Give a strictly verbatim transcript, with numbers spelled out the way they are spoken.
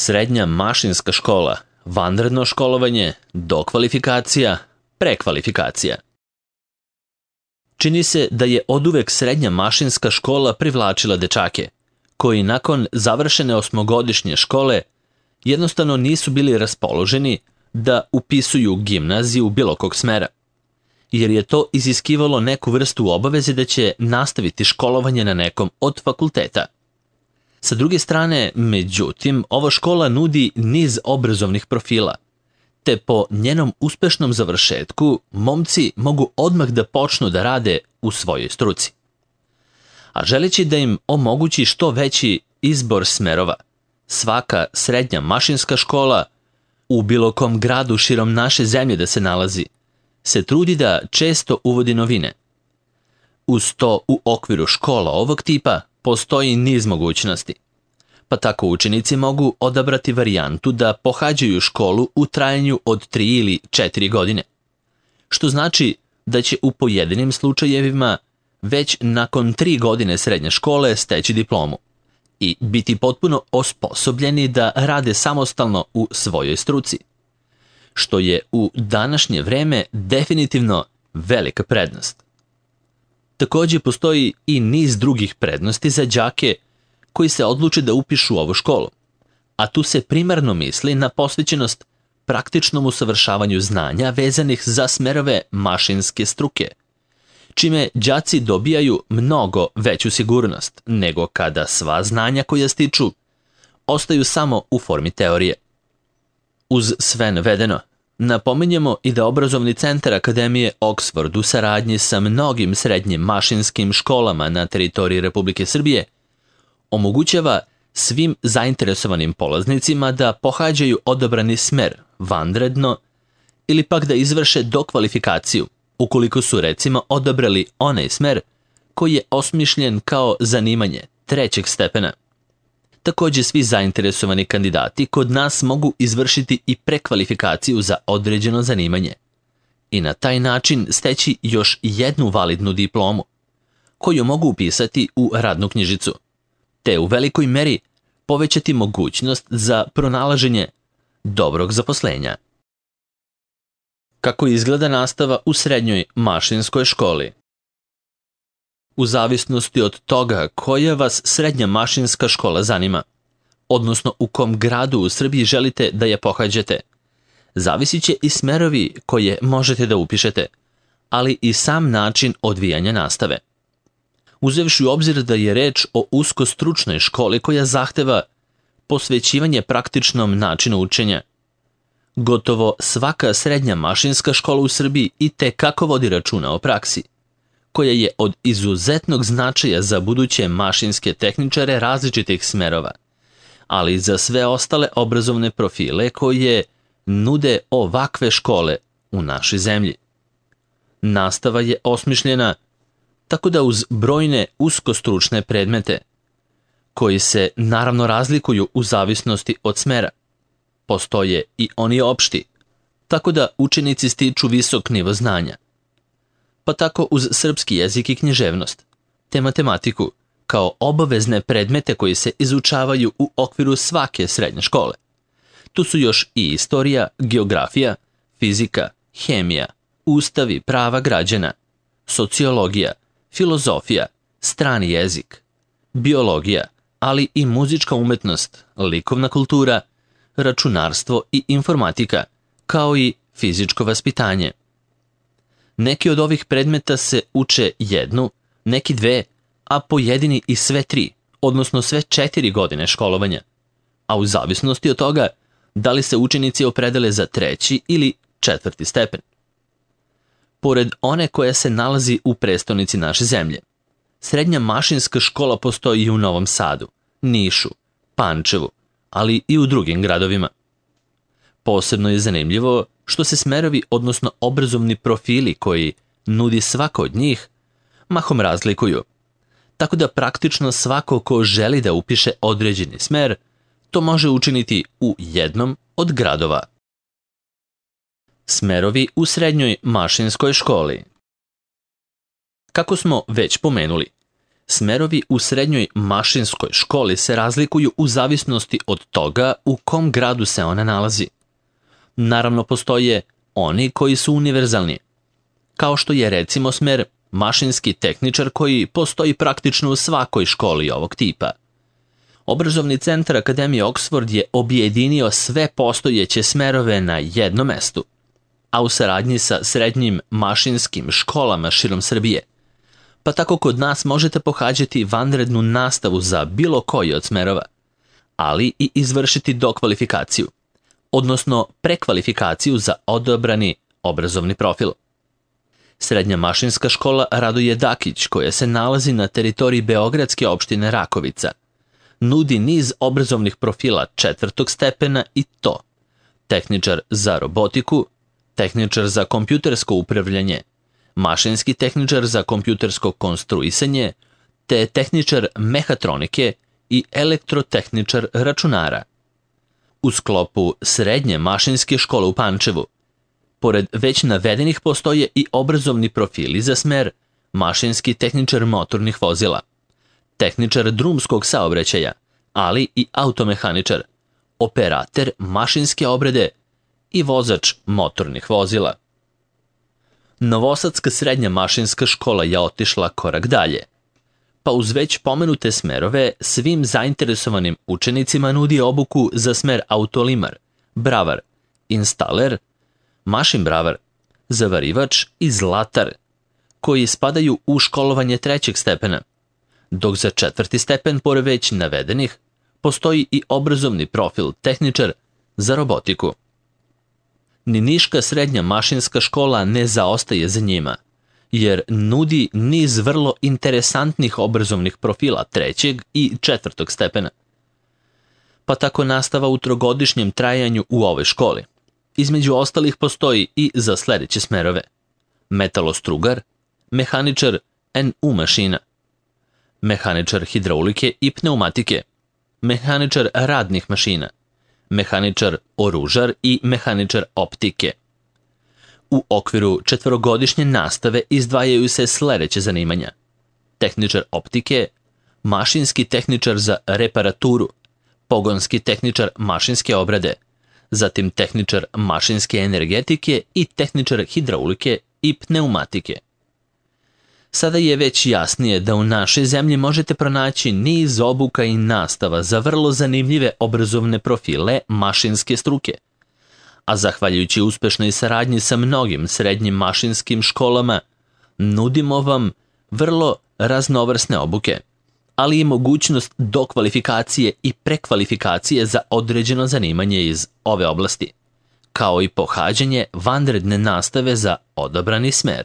Srednja mašinska škola, vanredno školovanje, dokvalifikacija, prekvalifikacija. Čini se da je oduvek srednja mašinska škola privlačila dečake, koji nakon završene osmogodišnje škole jednostavno nisu bili raspoloženi da upisuju gimnaziju bilo kog smera, jer je to iziskivalo neku vrstu obaveze da će nastaviti školovanje na nekom od fakulteta. Sa druge strane, međutim, ova škola nudi niz obrazovnih profila, te po njenom uspešnom završetku momci mogu odmah da počnu da rade u svojoj struci. A želeći da im omogući što veći izbor smerova, svaka srednja mašinska škola, u bilo kom gradu širom naše zemlje da se nalazi, se trudi da često uvodi novine. Uz to, u okviru škola ovog tipa postoji niz mogućnosti, pa tako učenici mogu odabrati varijantu da pohađaju školu u trajanju od tri ili četiri godine, što znači da će u pojedinim slučajevima već nakon tri godine srednje škole steći diplomu i biti potpuno osposobljeni da rade samostalno u svojoj struci, što je u današnje vreme definitivno velika prednost. Također postoji i niz drugih prednosti za đake koji se odluče da upišu ovu školu, a tu se primarno misli na posvećenost praktičnom usavršavanju znanja vezanih za smerove mašinske struke, čime đaci dobijaju mnogo veću sigurnost nego kada sva znanja koja stiču ostaju samo u formi teorije. Uz sve navedeno, napominjemo i da obrazovni centar Akademije Oxford u saradnji sa mnogim srednjim mašinskim školama na teritoriji Republike Srbije omogućava svim zainteresovanim polaznicima da pohađaju odabrani smer vanredno ili pak da izvrše dokvalifikaciju ukoliko su recimo odabrali onaj smer koji je osmišljen kao zanimanje trećeg stepena. Također svi zainteresovani kandidati kod nas mogu izvršiti i prekvalifikaciju za određeno zanimanje i na taj način steći još jednu validnu diplomu, koju mogu upisati u radnu knjižicu, te u velikoj meri povećati mogućnost za pronalaženje dobrog zaposlenja. Kako izgleda nastava u srednjoj mašinskoj školi? U zavisnosti od toga koja vas srednja mašinska škola zanima, odnosno u kom gradu u Srbiji želite da je pohađate, zavisit će i smerovi koje možete da upišete, ali i sam način odvijanja nastave. Uzevši u obzir da je reč o usko stručnoj školi koja zahteva posvećivanje praktičnom načinu učenja, gotovo svaka srednja mašinska škola u Srbiji i te kako vodi računa o praksi, koja je od izuzetnog značaja za buduće mašinske tehničare različitih smerova, ali i za sve ostale obrazovne profile koje nude ovakve škole u našoj zemlji. Nastava je osmišljena tako da uz brojne uskostručne predmete, koji se naravno razlikuju u zavisnosti od smera, postoje i oni opšti, tako da učenici stiču visok nivo znanja, pa tako uz srpski jezik i književnost, te matematiku, kao obavezne predmete koji se izučavaju u okviru svake srednje škole. Tu su još i istorija, geografija, fizika, hemija, ustavi prava građana, sociologija, filozofija, strani jezik, biologija, ali i muzička umetnost, likovna kultura, računarstvo i informatika, kao i fizičko vaspitanje. Neki od ovih predmeta se uče jednu, neki dve, a pojedini i sve tri, odnosno sve četiri godine školovanja, a u zavisnosti od toga da li se učenici opredele za treći ili četvrti stepen. Pored one koja se nalazi u prestonici naše zemlje, srednja mašinska škola postoji i u Novom Sadu, Nišu, Pančevu, ali i u drugim gradovima. Posebno je zanimljivo što se smerovi, odnosno obrazovni profili koji nudi svako od njih, mahom razlikuju, tako da praktično svako ko želi da upiše određeni smer, to može učiniti u jednom od gradova. Smerovi u srednjoj mašinskoj školi. Kako smo već pomenuli, Smerovi u srednjoj mašinskoj školi se razlikuju u zavisnosti od toga u kom gradu se ona nalazi. Naravno, postoje oni koji su univerzalni, kao što je recimo smer mašinski tehničar koji postoji praktično u svakoj školi ovog tipa. Obrazovni centar Akademije Oxford je objedinio sve postojeće smerove na jednom mestu, a u saradnji sa srednjim mašinskim školama širom Srbije. Pa tako kod nas možete pohađati vanrednu nastavu za bilo koji od smerova, ali i izvršiti dokvalifikaciju, odnosno prekvalifikaciju za odabrani obrazovni profil. Srednja mašinska škola Radoje Dakić, koja se nalazi na teritoriji beogradske opštine Rakovica, nudi niz obrazovnih profila četvrtog stepena i to tehničar za robotiku, tehničar za kompjutersko upravljanje, mašinski tehničar za kompjutersko konstruisanje, te tehničar mehatronike i elektrotehničar računara. U sklopu srednje mašinske škole u Pančevu, pored već navedenih, postoje i obrazovni profili za smer mašinski tehničar motornih vozila, tehničar drumskog saobraćaja, ali i automehaničar, operater mašinske obrade i vozač motornih vozila. Novosadska srednja mašinska škola je otišla korak dalje, pa uz već pomenute smerove svim zainteresovanim učenicima nudi obuku za smer autolimar, bravar, instaler, mašin bravar, zavarivač i zlatar, koji spadaju u školovanje trećeg stepena, dok za četvrti stepen, pored već navedenih, postoji i obrazovni profil tehničar za robotiku. Ni Niška srednja mašinska škola ne zaostaje za njima, jer nudi niz vrlo interesantnih obrazovnih profila trećeg i četvrtog stepena. Pa tako nastava u trogodišnjem trajanju u ovoj školi. Između ostalih postoji i za sledeće smerove: metalostrugar, mehaničar en u mašina, mehaničar hidraulike i pneumatike, mehaničar radnih mašina, mehaničar oružar i mehaničar optike. U okviru četvorogodišnje nastave izdvajaju se sledeće zanimanja: tehničar optike, mašinski tehničar za reparaturu, pogonski tehničar mašinske obrade, zatim tehničar mašinske energetike i tehničar hidraulike i pneumatike. Sada je već jasnije da u našoj zemlji možete pronaći niz obuka i nastava za vrlo zanimljive obrazovne profile mašinske struke, a zahvaljujući uspešnoj saradnji sa mnogim srednjim mašinskim školama, nudimo vam vrlo raznovrsne obuke, ali i mogućnost dokvalifikacije i prekvalifikacije za određeno zanimanje iz ove oblasti, kao i pohađanje vanredne nastave za odabrani smer.